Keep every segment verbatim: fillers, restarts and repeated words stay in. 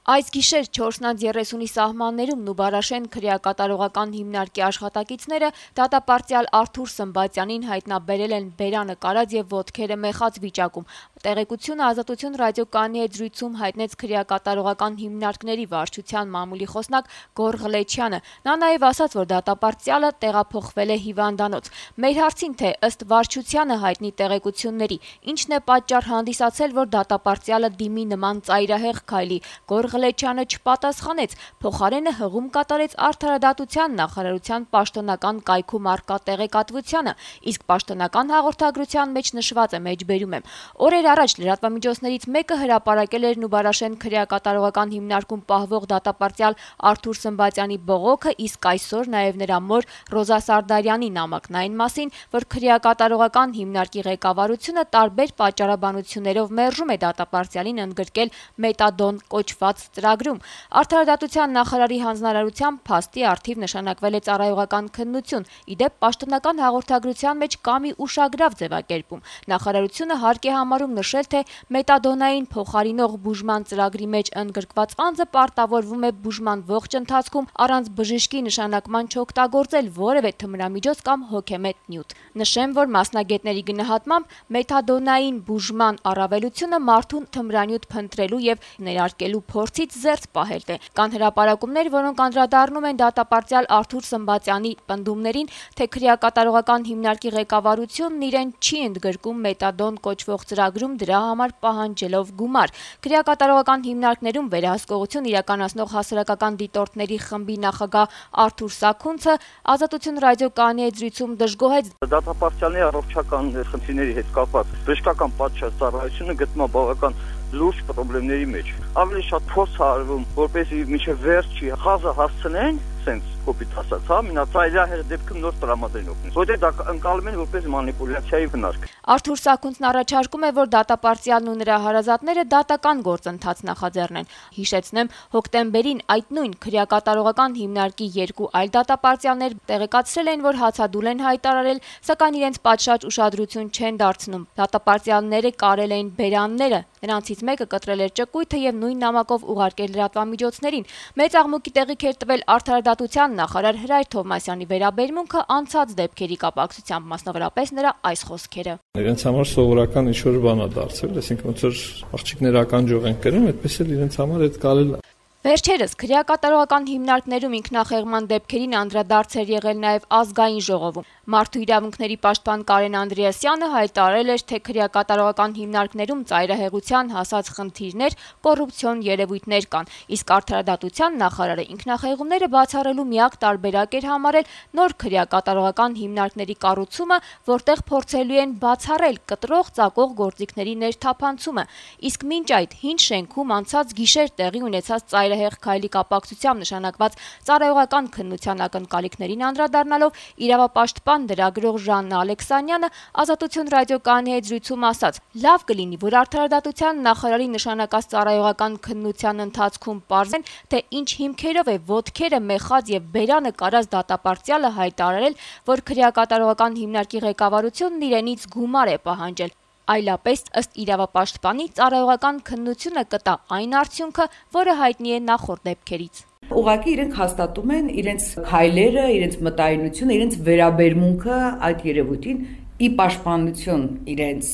Այս գիշեր չորսնանց երեսունի սահմաններում Նուբարաշեն քրեակատարողական հիմնարկի աշխատակիցները դատապարտյալ Արթուր Սմբատյանին հայտնաբերել են բերանը կարած եւ ոտքերը մեխած վիճակում։ Տեղեկությունը Ազատություն ռադիոկայանի հետ զրույցում հայտնեց քրեակատարողական հիմնարկների վարչության մամուլի խոսնակ Գոռ Ղլեչյանը։ Նա նաեւ ասաց, որ դատապարտյալը տեղափոխվել է հիվանդանոց։ Մեր հարցին, թե ըստ վարչությանը հայտնի տեղեկությունների ինչն է պատճառ հանդիսացել, որ դատապարտյալը դիմի նման ծայրահեղ քայլի, Գոռ Ղլեչյանը չպատասխանեց, փոխարենը հղում կատարեց Արդարադատության նախարարության պաշտոնական կայքում առկա տեղեկատվությանը, իսկ պաշտոնական հաղորդագրության մեջ նշված է, մեջբերում եմ. Օրեր առաջ լրատվամիջոցներից մեկը հրապարակել էր Նուբարաշեն քրեակատարողական հիմնարկում պահվող դատապարտյալ Արթուր Սմբատյանի բողոքը, իսկ այսօր նաև նրա մոր Ռոզա Սարդարյանի նամակն այն մասին, որ քրեակատարողական հիմնարկի ղեկավարությունը տարբեր պատճառաբանություններով մերժում է դատապարտյալին ընդգրկել մետադոն կոչված ծրագրում։ Արդարադատության նախարարի հանձնարարությամբ փաստի առթիվ նշանակվել է ծառայողական քննություն, իդեպ պաշտոնական հաղորդագրության մեջ կա մի ուշագրավ ձևակերպում։ Նախարարությունը հարկ է համարում նշել, թե մետադոնային փոխարինող բուժման ծրագրի մեջ ընդգրկված անձը պարտավորվում է բուժման ողջ ընթացքում առանց բժշկի նշանակման չօգտագործել որևէ թմրամիջոց կամ հոգեմետ նյութ։ Նշեմ, որ մասնագետների գնահատմամբ մետադոնային բուժման առավելությունը մարդուն թմրանյութ փնտրելու եւ ներարկելու փորձից զերծ պահելն է։ Կան հրապարակումներ, որոնք անդրադառնում են դատապարտյալ Արթուր Սմբատյանի պնդումներին, թե քրեակատարողական հիմնարկի ղեկավարությունն իրեն չի ընդգրկում մետադոն կոչվող ծրագրում դրա համար պահանջելով գումար։ Քրեակատարողական հիմնարկներում վերահսկողություն իրականացնող հասարակական դիտորդների խմբի նախագահ Արթուր Սաքունցը Ազատություն ռադիոկայանի հետ զրույցում դժգոհեց դատապարտյալների առողջական խնդիրների հետ կապված բժշկական պատշաճ ծառայությունը գտնում է բավական լուրջ խնդիրների մեջ։ Ավելի շատ փորձ արվում, որպեսզի մինչև վերջի խազը հասցնեն, sense կոպիտ ասած, հա, մինացայրահեղ դեպքում նոր տրամադրեն օգնես։ Որտեղ դա ընկալում են որպես մանիպուլյացիայի հնարք։ Արթուր Սաքունցն առաջարկում է, որ դատապարտյալն ու նրա հարազատները դատական գործընթաց նախաձեռնեն։ Հիշեցնեմ, հոկտեմբերին այդ նույն քրեակատարողական հիմնարկի երկու այլ դատապարտյալներ տեղեկացրել են, որ հացադուլ են հայտարարել, սակայն իրենց պատշաճ ուշադրություն չեն դարձնում։ Դատապարտյալները կարել էին բերանները, նրանցից մեկը կտրել էր ճկույթը եւ նույն նամակով ուղարկել լրատվամիջոցներին։ Մեծ աղմուկի տեղիք էր տվել Արդարադատության նախարար Հրայր Թովմասյանի վերաբերմունքը անցած դեպքերի կապակցությամբ, մասնավորապես նրա այս խոսքերը։ Իրենց համար սովորական ինչ-որ բան է դարձել, այսինքն ոնց որ աղջիկներ ականջող են կրում, այդպես էլ իրենց համար այդ կարել է։ Վերջերս քրեակատարողական հիմնարկներում ինքնախեղման դեպքերին անդրադարձ էր եղել նաև ազգային ժողովում։ Մարդու իրավունքների պաշտպան Կարեն Անդրեասյանը հայտարարել էր, թե քրեակատարողական հիմնարկներում ծայրահեղության հասած խնդիրներ, կոռուպցիոն երևույթներ կան, իսկ Արդարադատության նախարարը ինքնախեղումները բացառելու միակ տարբերակ էր համարել նոր քրեակատարողական հիմնարկների կառուցումը, որտեղ փորձելու են բացառել կտրող ծակող գործիքների ներթափանցումը։ Իսկ մինչ այդ հին շենքում անցած գիշեր տեղի ունեցած ծայրահեղ քայլի կապակցությամբ նշանակված ծառայողական քննության ակնկալիքներին անդրադառնալով իրավապաշտպան դրագրող Ժաննա Ալեքսանյանը Ազատություն ռադիոկայանի հետ զրույցում ասաց. լավ կլինի, որ Արդարադատության նախարարի նշանակած ծառայողական քննության ընթացքում պարզեն, թե ինչ հիմքերով է ոտքերը մեխած եւ բերանը կարած դատապարտյալը հայտարարել, որ քրեակատարողական հիմնարկի ղեկավարությունն իրենից գումար է պահանջել։ Այլապես ըստ իրավապաշտպանի ծառայողական քննությունը կտա այն արդյունքը, որը հայտնի է նախորդ դեպքերից։ Ուղղակի իրենք հաստատում են իրենց քայլերը, իրենց մտայնությունը, իրենց վերաբերմունքը այդ երևույթին ի պաշտպանություն իրենց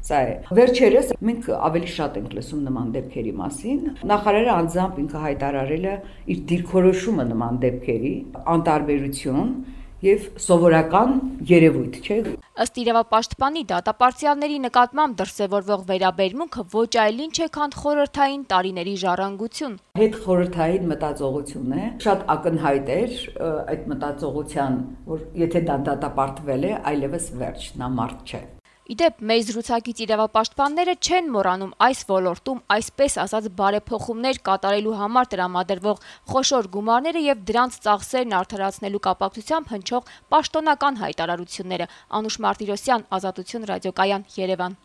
սա է։ Վերջերս մենք ավելի շատ ենք լսում նման դեպքերի մասին։ Նախարարը անձամբ ինքը հայտարարել է իր դիրքորոշումը նման դեպքերի անտարբերություն եւ սովորական երևույթ, չէ՞։ Ըստ իրավապաշտպանի դատապարտյալների նկատմամբ դրսևորվող վերաբերմունքը ոչ այլ ինչ է, քան խորհրդային տարիների ժառանգություն։ Հետ խորհրդային մտածողություն է, շատ ակնհայտ էր այդ մտածողության, որ եթե դա դատապարտվել է, այլևս վերջ, նա մարդ չէ։ Իդեպ մեծ զրուցակից իրավապաշտպանները չեն մոռանում այս ոլորտում այսպես ասած բարեփոխումներ կատարելու համար տրամադրվող խոշոր գումարները եւ դրանց ծախսերն արդարացնելու կապակցությամբ հնչող պաշտոնական հայտարարությունները։ Անուշ Մարտիրոսյան, Ազատություն ռադիոկայան, Երևան։